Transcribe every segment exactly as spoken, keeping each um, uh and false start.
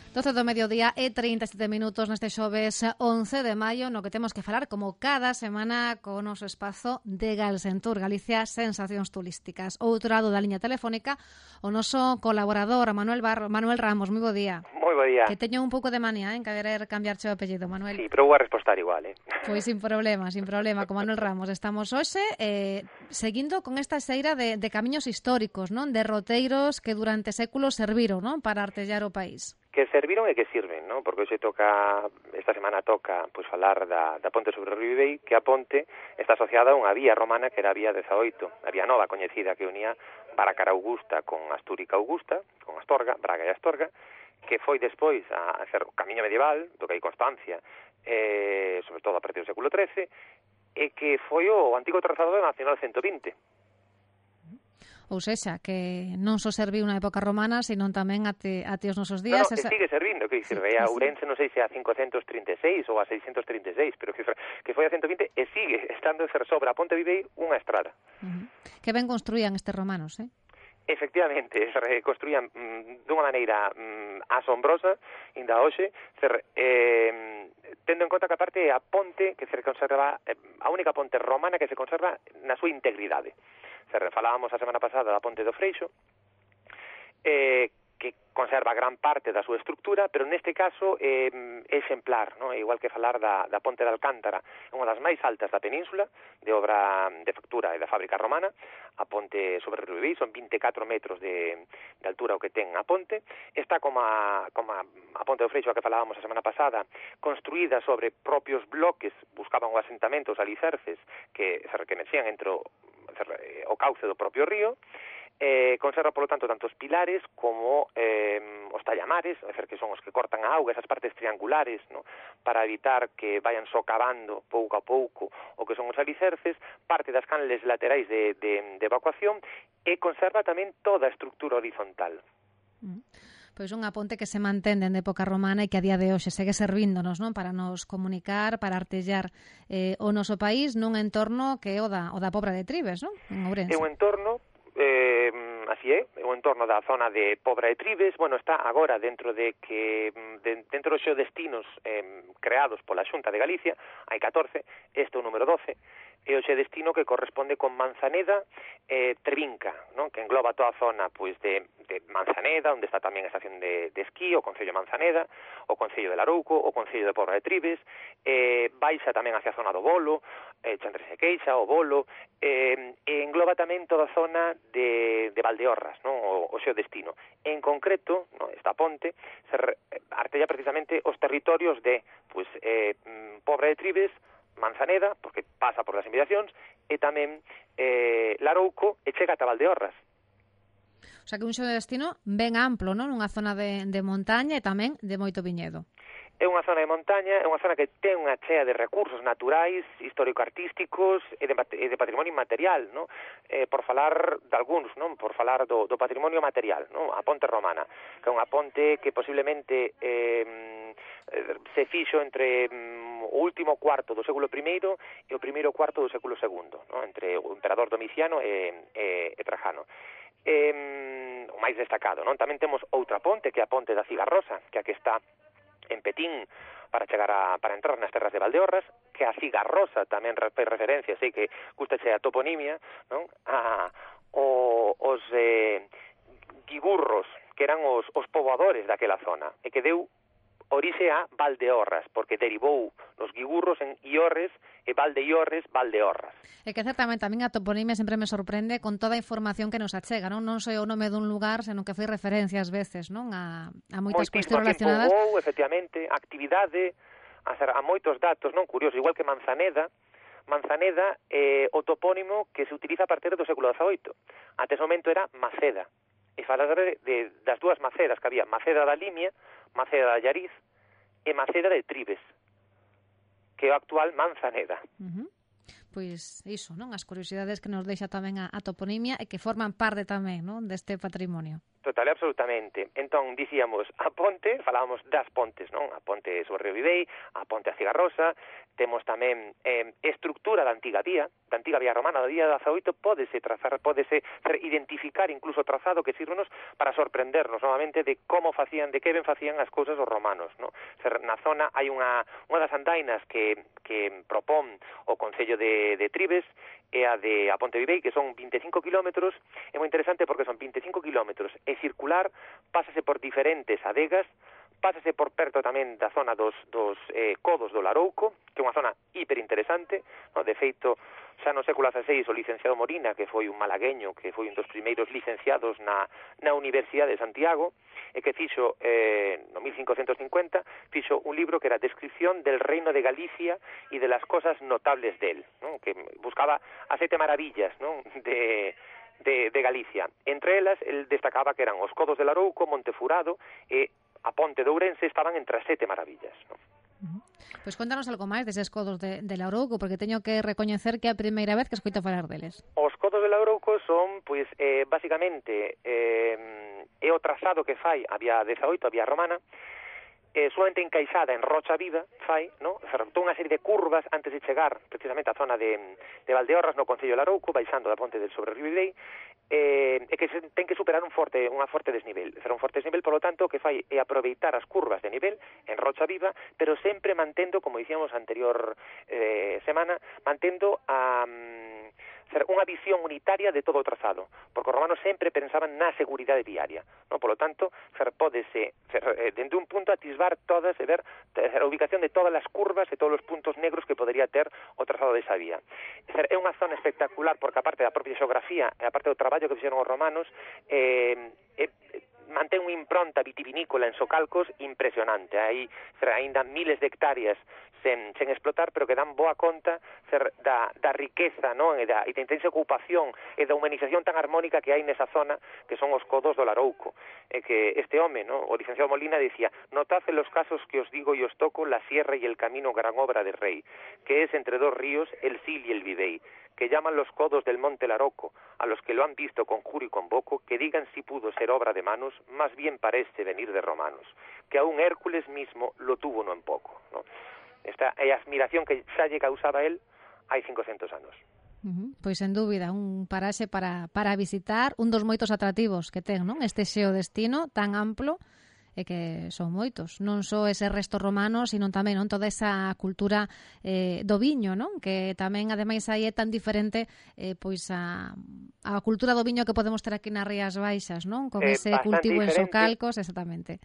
doce do mediodía e trinta e sete minutos neste xoves once de maio, no que temos que falar como cada semana co noso espazo de Galsentur, Galicia Sensacións Turísticas. Outro lado da liña telefónica, o noso colaborador Manuel Bar Manuel Ramos. Moi bo día. Moi bo día. Que teño un pouco de manía, eh, en querer cambiarche o apellido, Manuel. Sí, pero vou a respostar igual, eh. Pois sin problema, sin problema, con Manuel Ramos. Estamos hoxe eh, seguindo con esta xeira de, de camiños históricos, non? De roteiros que durante séculos serviron, non? Para artellar o país. Que serviron e que sirven, non? Porque hoxe toca, esta semana toca, pois falar da, da ponte sobre o Río Ibei, que a ponte está asociada a unha vía romana que era a vía dezaoito, a vía nova coñecida que unía Baracara Augusta con Astúrica Augusta, con Astorga, Braga e Astorga, que foi despois a ser o camiño medieval, do que hai constancia, eh, sobre todo a partir do século trece, e que foi o antigo trazado da Nacional ciento vinte. Ou sexa, que non só serviu na época romana, senón tamén ate, ate os nosos días. No, no, esa... sigue servindo, que sirve a Ourense, non sei se a cincocentos trinta e seis ou a seiscentos trinta e seis, pero que, que foi a ciento vinte e sigue estando ser sobre a Ponte Vivei unha estrada. Uh -huh. Que ben construían estes romanos, eh? Efectivamente, se reconstruían mm, dunha maneira mm, asombrosa, inda hoxe, ser, eh, tendo en conta que aparte a ponte que se conserva, eh, a única ponte romana que se conserva na súa integridade. Se falábamos a semana pasada da ponte do Freixo, eh, que conserva gran parte da súa estructura, pero neste caso é eh, exemplar, non? Igual que falar da, da ponte de Alcántara, é unha das máis altas da península, de obra de factura e da fábrica romana. A ponte sobre o Río Ibei son vinte e catro metros de, de altura o que ten a ponte. Está como a, como a, a ponte do Freixo a que falábamos a semana pasada, construída sobre propios bloques, buscaban o asentamento, os alicerces que se reconecían entre o, o cauce do propio río. Eh, conserva, por lo tanto, tanto os pilares como eh, os tallamares, é dicir, que son os que cortan a auga, esas partes triangulares, ¿no? Para evitar que vayan socavando pouco a pouco o que son os alicerces, parte das canles laterais de, de, de evacuación, e conserva tamén toda a estructura horizontal. Mm. Pois unha ponte que se mantén dende época romana e que a día de hoxe segue servíndonos, non? Para nos comunicar, para artellar eh, o noso país nun entorno que é o da, o da Pobra de Tribes, non? En Ourense. É un entorno Eh, así é, o entorno da zona de Pobra de Tribes, bueno, está agora dentro de que de, dentro dos xeodestinos eh, creados pola Xunta de Galicia, hai catorce, este é o número doce, e o xeodestino que corresponde con Manzaneda e eh, Trevinca, non? Que engloba toda a zona pois de, de Manzaneda, onde está tamén a estación de, de esquí, o Concello de Manzaneda, o Concello de Larouco, o Concello de Pobra de Tribes, eh, baixa tamén hacia a zona do Bolo, eh, Chantres e Queixa, o Bolo, eh, e engloba tamén toda a zona de, de Valdeorras, non? O, o xeodestino. En concreto, non? Esta ponte se re, artella precisamente os territorios de pois, eh, Pobra de Tribes, Manzaneda, porque pasa por las inmediacións, e tamén eh, Larouco e chega ata Valdeorras. O sea que un xeodestino ben amplo, non? Unha zona de, de montaña e tamén de moito viñedo. É unha zona de montaña, é unha zona que ten unha chea de recursos naturais, histórico-artísticos e de, e de patrimonio inmaterial, non? Eh, por falar de algúns, non? Por falar do, do patrimonio material, non? A ponte romana, que é unha ponte que posiblemente eh, se fixo entre mm, o último cuarto do século primeiro e o primeiro cuarto do século segundo, non? Entre o emperador Domiciano e, e, e Trajano. Eh, o máis destacado, non? Tamén temos outra ponte, que é a ponte da Cigarrosa, que a que está en Petín para chegar a, para entrar nas terras de Valdeorras, que a Cigarrosa tamén fai referencia, sei que gustache a toponimia, non? A, o, os eh, guigurros, que eran os, os poboadores daquela zona, e que deu orixe a Valdeorras, porque derivou nos guigurros en Iorres, e Valdeiorres, Valdeorras. É que certamente a min a toponimia sempre me sorprende con toda a información que nos achega, non? Non só o nome dun lugar, senón que foi referencia ás veces, non? A, a moitas cuestións relacionadas. Moitísimo que efectivamente, actividade, a, ser, a moitos datos, non? Curioso, igual que Manzaneda, Manzaneda é eh, o topónimo que se utiliza a partir do século dezaoito. Ante ese momento era Maceda. E falar de, de, das dúas Macedas que había, Maceda da Limia, Maceda da Llariz e Maceda de Tribes, que é o actual Manzaneda. Uh -huh. Pois iso, non? As curiosidades que nos deixa tamén a, a toponimia e que forman parte tamén, non? Deste patrimonio. Total e absolutamente. Entón, dicíamos, a ponte, falábamos das pontes, non? A ponte sobre o Río Vivei, a ponte a Cigarrosa, temos tamén eh, estructura da antiga vía, da antiga vía romana, da vía dezaoito, pódese trazar, pódese identificar incluso o trazado que sirvenos para sorprendernos novamente de como facían, de que ben facían as cousas os romanos, non? Na zona hai unha, unha das andainas que, que propón o Concello de, de Tribes, e a de a Ponte Vivei, que son vinte e cinco kilómetros, é moi interesante porque son vinte e cinco kilómetros, é circular, pásase por diferentes adegas, pásase por perto tamén da zona dos, dos eh, codos do Larouco, que é unha zona hiperinteresante, no? De feito, xa no século dieciséis o licenciado Morina, que foi un malagueño, que foi un dos primeiros licenciados na, na Universidade de Santiago, e que fixo, eh, no mil cincuentos cincuenta, fixo un libro que era Descripción del Reino de Galicia e de las cosas notables del, ¿no? Que buscaba as sete maravillas, ¿no? de, de, de Galicia. Entre elas, el destacaba que eran os codos de Larouco, Montefurado e a Ponte de Ourense estaban entre as sete maravillas, ¿no? Uh-huh. Pois contanos algo máis deses codos de, de Larouco, porque teño que recoñecer que é a primeira vez que escoito falar deles. Os codos de Larouco son, pois, eh, basicamente, eh, é o trazado que fai a vía dezaoito, a vía romana, eh, solamente encaixada en rocha viva, fai, no? Ferrotou unha serie de curvas antes de chegar precisamente á zona de, de Valdeorras, no Concello de Larouco, baixando da ponte del sobre Río Vivei, eh, e que se, ten que superar un forte, unha forte desnivel. Será un forte desnivel, polo tanto, o que fai é aproveitar as curvas de nivel en rocha viva, pero sempre mantendo, como dicíamos anterior eh, semana, mantendo a... Um, ser unha visión unitaria de todo o trazado, porque os romanos sempre pensaban na seguridade viaria, no? Polo tanto, ser pódese, ser, eh, dende un punto atisbar todas e ver a ubicación de todas as curvas e todos os puntos negros que podería ter o trazado desa vía. Ser, é unha zona espectacular, porque aparte da propia xeografía e aparte do traballo que fixeron os romanos, eh, eh, mantén unha impronta vitivinícola en Socalcos impresionante. Hai aínda miles de hectáreas sen, sen explotar, pero que dan boa conta ser, da, da riqueza, non? E da, e da intensa ocupación e da humanización tan armónica que hai nesa zona, que son os codos do Larouco. E que este home, ¿no? O licenciado Molina, decía: notad en los casos que os digo y os toco la sierra y el camino gran obra del rey, que es entre dos ríos, el Sil y el Vivei, que llaman los codos del monte Laroco, a los que lo han visto conjuro y convoco, que digan si pudo ser obra de manos, más bien parece venir de romanos, que aún Hércules mismo lo tuvo no en poco, ¿no? Esta é a admiración que xa lle causaba él hai cincocentos anos. Uh-huh. Pois, sen dúbida, un paraxe para, para visitar, un dos moitos atractivos que ten, non? Este xeodestino tan amplo, e que son moitos, non só ese resto romano, sino tamén non toda esa cultura eh, do viño, non? Que tamén, ademais, aí é tan diferente eh, pois a, a cultura do viño que podemos ter aquí nas Rías Baixas, non? Con eh, ese cultivo diferente. En Socalcos, exactamente.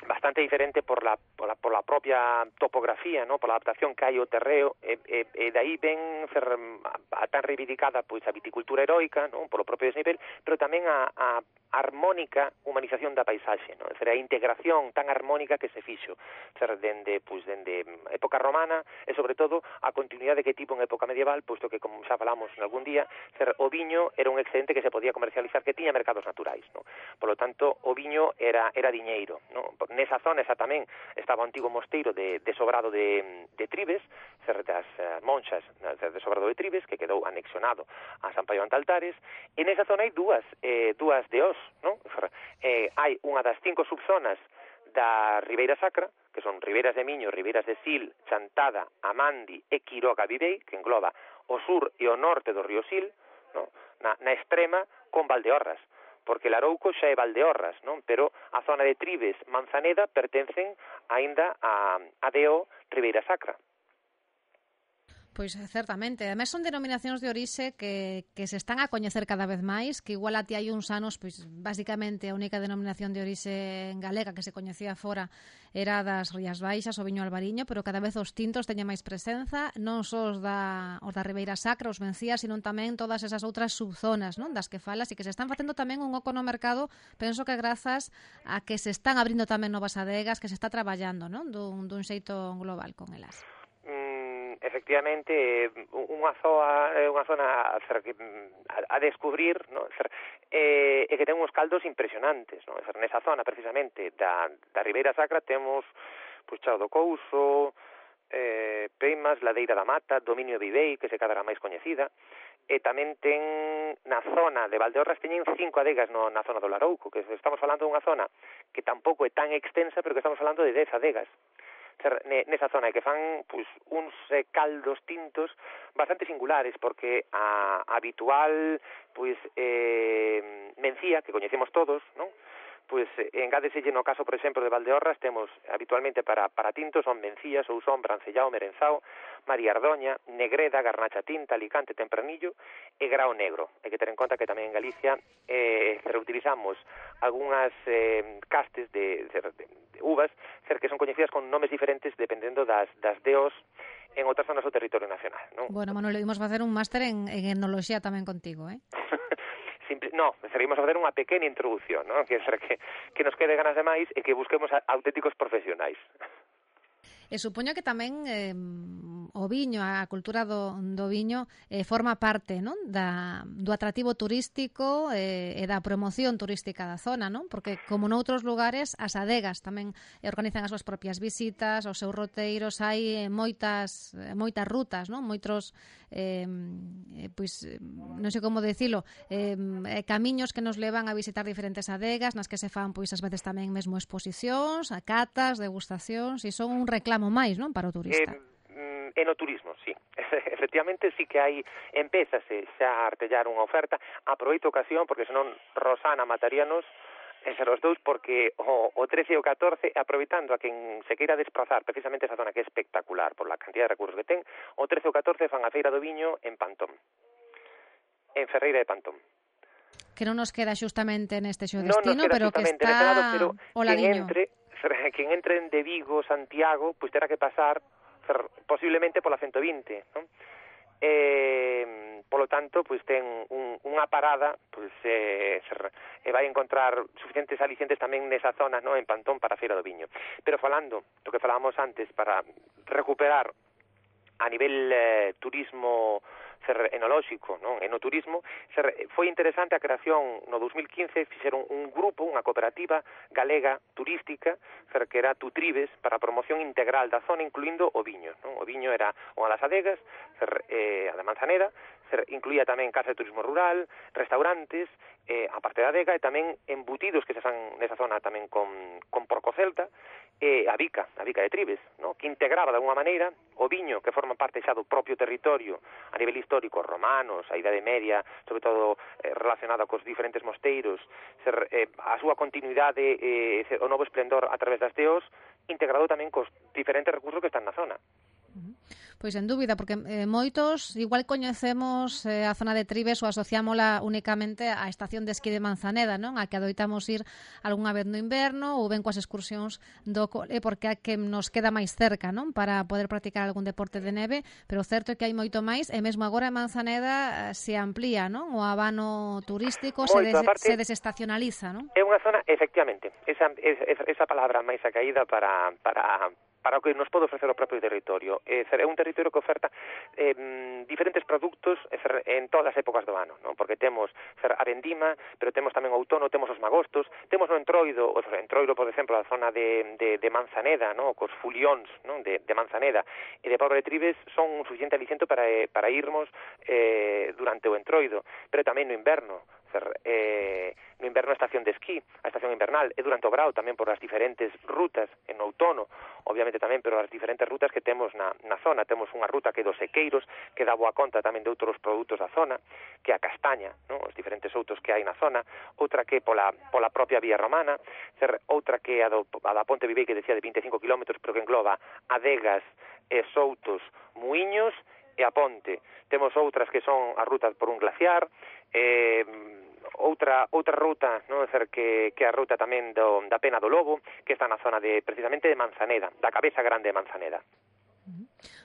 Bastante diferente por la, por la, por la propia topografía, ¿no? Por la adaptación que hai ao terreo, e, e, e dai ben ser a, a tan reivindicada pois a viticultura heroica, ¿no? Por o propio desnivel, pero tamén a, a armónica humanización da paisaxe, ¿no? Ser, a integración tan armónica que se fixo, ser, dende, pois, dende época romana e, sobre todo, a continuidade que tivo en época medieval, posto que, como xa falamos en algún día, ser, o viño era un excedente que se podía comercializar, que tiña mercados naturais, ¿no? Por lo tanto, o viño era, era diñeiro, ¿no? Nesa zona esa tamén estaba o antigo mosteiro de, de Sobrado de, de Tribes, ser, das uh, monxas de Sobrado de Tribes, que quedou anexionado a San Paión de Altares, e nesa zona hai dúas, eh, dúas de os, non? Eh, hai unha das cinco subzonas da Ribeira Sacra, que son Ribeiras de Miño, Ribeiras de Sil, Chantada, Amandi e Quiroga Vivei, que engloba o sur e o norte do río Sil, no? na, na extrema con Valdeorras, porque Larouco xa é Valdeorras, non? Pero a zona de Tribes, Manzaneda, pertencen aínda a, a Deo Ribeira Sacra. Pois, certamente. Ademais, son denominacións de orixe que, que se están a coñecer cada vez máis, que igual a ti hai uns anos, pois, basicamente, a única denominación de orixe galega que se coñecía fora era das Rías Baixas, o viño albariño, pero cada vez os tintos teñen máis presenza, non só os da, os da Ribeira Sacra, os Mencías, sino tamén todas esas outras subzonas, non? Das que falas, e que se están facendo tamén un oco no mercado, penso que grazas a que se están abrindo tamén novas adegas, que se está traballando, non? Dun, dun xeito global con elas. Efectivamente, unha zona, unha zona a, a descubrir, ¿no? E, e que ten uns caldos impresionantes, ¿no? Nesa zona, precisamente, da, da Ribeira Sacra temos, pois, Chao do Couso, eh, Peimas, Ladeira da Mata, Dominio de Ibei, que se cadra máis coñecida, e tamén ten na zona de Valdeorras teñen cinco adegas no, na zona do Larouco, que estamos falando dunha zona que tampouco é tan extensa, pero que estamos falando de dez adegas nesa zona, que fan pois, uns eh, caldos tintos bastante singulares, porque a, a habitual pois, eh, mencía, que coñecemos todos, non? Pois engádeselle no caso, por exemplo, de Valdeorras, temos habitualmente para, para tintos son mencías, Ousón, Brancellao, Merenzao, María Ardoña, Negreda, Garnacha Tinta, Alicante, Tempranillo e Grao Negro. Hai que ter en conta que tamén en Galicia eh, reutilizamos algunhas eh, castes de, de, de, de uvas que son coñecidas con nomes diferentes dependendo das, das deos en outras zonas do territorio nacional, non? Bueno, Manuel, imos facer un máster en, en etnoloxía tamén contigo, eh? Simple, no, seguimos a facer unha pequena introducción, ¿no? Que, que, que nos quede ganas de máis e que busquemos a, auténticos profesionais. E supoño que tamén eh, o viño, a cultura do, do viño eh, forma parte, non? Da, do atractivo turístico eh, e da promoción turística da zona, non? Porque como noutros lugares as adegas tamén organizan as súas propias visitas, os seus roteiros, hai moitas moitas rutas, non? Moitos eh, pois non sei como dicilo, eh, camiños que nos levan a visitar diferentes adegas, nas que se fan pois ás veces tamén mesmo exposicións, a catas, degustacións, e son un reclamo máis, non, para o turista. Eh, en o turismo, sí. Efectivamente, sí que hai, empézase xa a artellar unha oferta. Aproveito a ocasión, porque senón Rosana mataríanos, ser os dous, porque o, o trece e o catorce, aproveitando a quen se queira desplazar precisamente esa zona que é espectacular por la cantidad de recursos que ten, o trece e o catorce fan a Feira do Viño en Pantón, en Ferreira de Pantón. Que non nos queda xustamente neste xo no destino, pero que está lado, pero o ladiño. Quen entre, quen entre de Vigo, Santiago, pois pues terá que pasar posiblemente pola ciento vinte, non? Eh, polo tanto, pois ten un, unha parada, pois eh, e vai encontrar suficientes alicientes tamén nesa zona, no, en Pantón para a Feira do Viño. Pero falando do que falábamos antes, para recuperar a nivel eh, turismo ser enolóxico, non? Enoturismo, ser, foi interesante a creación no dos mil quince, fixeron un grupo, unha cooperativa galega turística, ser, que era Tutribes, para a promoción integral da zona, incluindo o viño, non? O viño era unha das adegas, ser, eh, a da Manzaneda, ser, incluía tamén casa de turismo rural, restaurantes, eh, a parte da adega, e tamén embutidos que se fan nesa zona tamén con, con porco celta, e a bica, a bica de Tribes, no? Que integraba de alguma maneira o viño, que forma parte xa do propio territorio a nivel histórico, os romanos, a Idade Media, sobre todo eh, relacionada cos diferentes mosteiros, ser, eh, a súa continuidade, eh, o novo esplendor a través das deos, integrado tamén cos diferentes recursos que están na zona. Pois en dúbida, porque eh, moitos igual coñecemos eh, a zona de Tribes ou asociámola únicamente á estación de esquí de Manzaneda, non? A que adoitamos ir algunha vez no inverno ou ben coas excursións do cole, porque a que nos queda máis cerca, non? Para poder practicar algún deporte de neve, pero certo é que hai moito máis, e mesmo agora en Manzaneda eh, se amplía, non? O abano turístico moito, se, des, aparte, se desestacionaliza, non? É unha zona, efectivamente, esa, esa, esa palabra máis acaída para... para para o que nos pode ofrecer o propio territorio. É un territorio que oferta eh, diferentes produtos en todas as épocas do ano, non? Porque temos a vendima, pero temos tamén o outono, temos os magostos, temos o entroido, o entroido, por exemplo, a zona de, de, de Manzaneda, non? Cos fulións, non? De, de Manzaneda e de Pobra de Tribes son un suficiente aliciento para, para irmos eh, durante o entroido, pero tamén no inverno. Eh, no inverno a estación de esquí, a estación invernal, e durante o brao tamén por as diferentes rutas, en outono, obviamente tamén, pero as diferentes rutas que temos na, na zona. Temos unha ruta que é dos sequeiros, que dá boa conta tamén de outros produtos da zona, que é a castaña, non? Os diferentes outos que hai na zona, outra que é pola, pola propia vía romana, ser, outra que é a, do, a da Ponte Vivei, que decía de vinte e cinco kilómetros, pero que engloba adegas, e soutos, muiños e a ponte. Temos outras que son as rutas por un glaciar, eh, outra outra ruta, non, ser que que a ruta tamén do da Pena do Lobo, que está na zona de precisamente de Manzaneda, da cabeza grande de Manzaneda.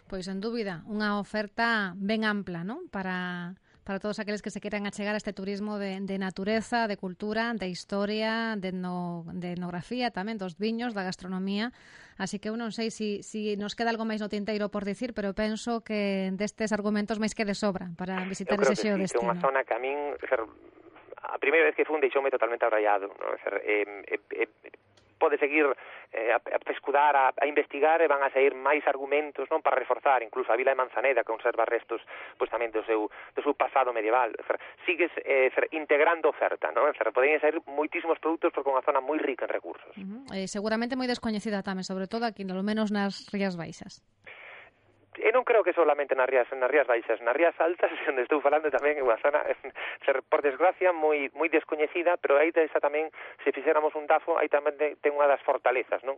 Pois en dúbida, unha oferta ben ampla, non? Para para todos aqueles que se queiran achegar a este turismo de, de natureza, de cultura, de historia, de, no, de etnografía tamén, dos viños, da gastronomía. Así que eu non sei se si, si nos queda algo máis no tinteiro por dicir, pero penso que destes argumentos máis que de sobra para visitar ese xeo sí, destino. Eu creo que sí, que é unha zona que a min, ser, a primeira vez que fun deixoume totalmente abraiado, non? Ser, eh, eh, eh, pode seguir eh, a, a pescudar, a, a investigar, e van a sair máis argumentos, non, para reforzar incluso a vila de Manzaneda, que conserva restos pois tamén do seu, do seu pasado medieval. Dizer, sigues eh, dizer, integrando oferta, non? Dizer, poden sair moitísimos produtos porque é unha zona moi rica en recursos. Uh-huh. Eh, seguramente moi descoñecida tamén, sobre todo aquí, polo menos nas Rías Baixas. E non creo que solamente nas Rías, nas Rías Baixas, nas Rías Altas, onde estou falando tamén é unha zona, ser, por desgracia, moi moi descoñecida, pero aí esa tamén, se fixéramos un dafo, aí tamén ten unha das fortalezas, non?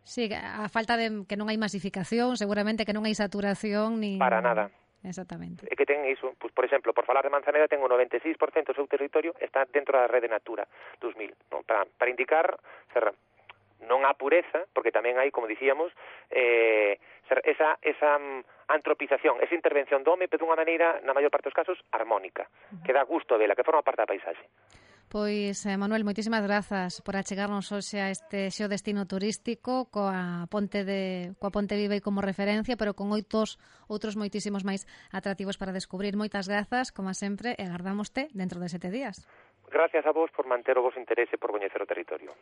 Sí, a falta de que non hai masificación, seguramente que non hai saturación ni... Para nada. Exactamente. E que ten iso, pues, por exemplo, por falar de Manzaneda, ten o noventa e seis por cento do seu territorio está dentro da rede Natura dos mil, non? Para, para indicar, ser, non a pureza, porque tamén hai, como dicíamos, eh, ser, esa, esa um, antropización, esa intervención do home, pero dunha maneira, na maior parte dos casos, armónica, uh-huh. que dá gusto vela, que forma parte da paisaxe. Pois, eh, Manuel, moitísimas grazas por achegarnos hoxe a este xeo destino turístico coa Ponte de coa Ponte Viva como referencia, pero con oitos outros moitísimos máis atractivos para descubrir. Moitas grazas, como sempre, e agardámoste dentro de sete días. Gracias a vos por manter o vos interese por coñecer o territorio.